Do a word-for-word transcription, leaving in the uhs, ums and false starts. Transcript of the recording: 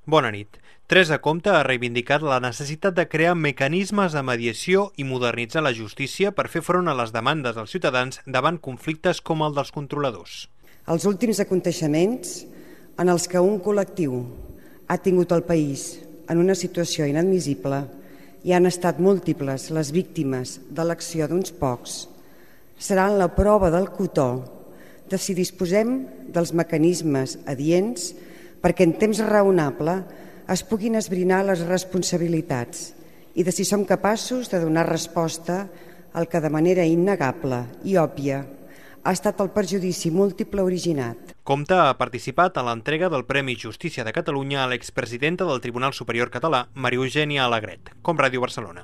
Bona nit. Teresa Comte ha reivindicat la necessitat de crear mecanismes de mediació i modernitzar la justícia per fer front a les demandes dels ciutadans davant conflictes com el dels controladors. Els últims aconteixements en els que un col·lectiu ha tingut el país en una situació inadmissible i han estat múltiples les víctimes de l'acció d'uns pocs, seran la prova del cotó de si disposem dels mecanismes adients perquè en temps raonable es puguin esbrinar les responsabilitats i de si som capaços de donar resposta al que de manera innegable i òbvia ha estat el perjudici múltiple originat. Comte ha participat en l'entrega del Premi Justícia de Catalunya a l'expresidenta del Tribunal Superior Català, Maria Eugènia Alegret, com Ràdio Barcelona.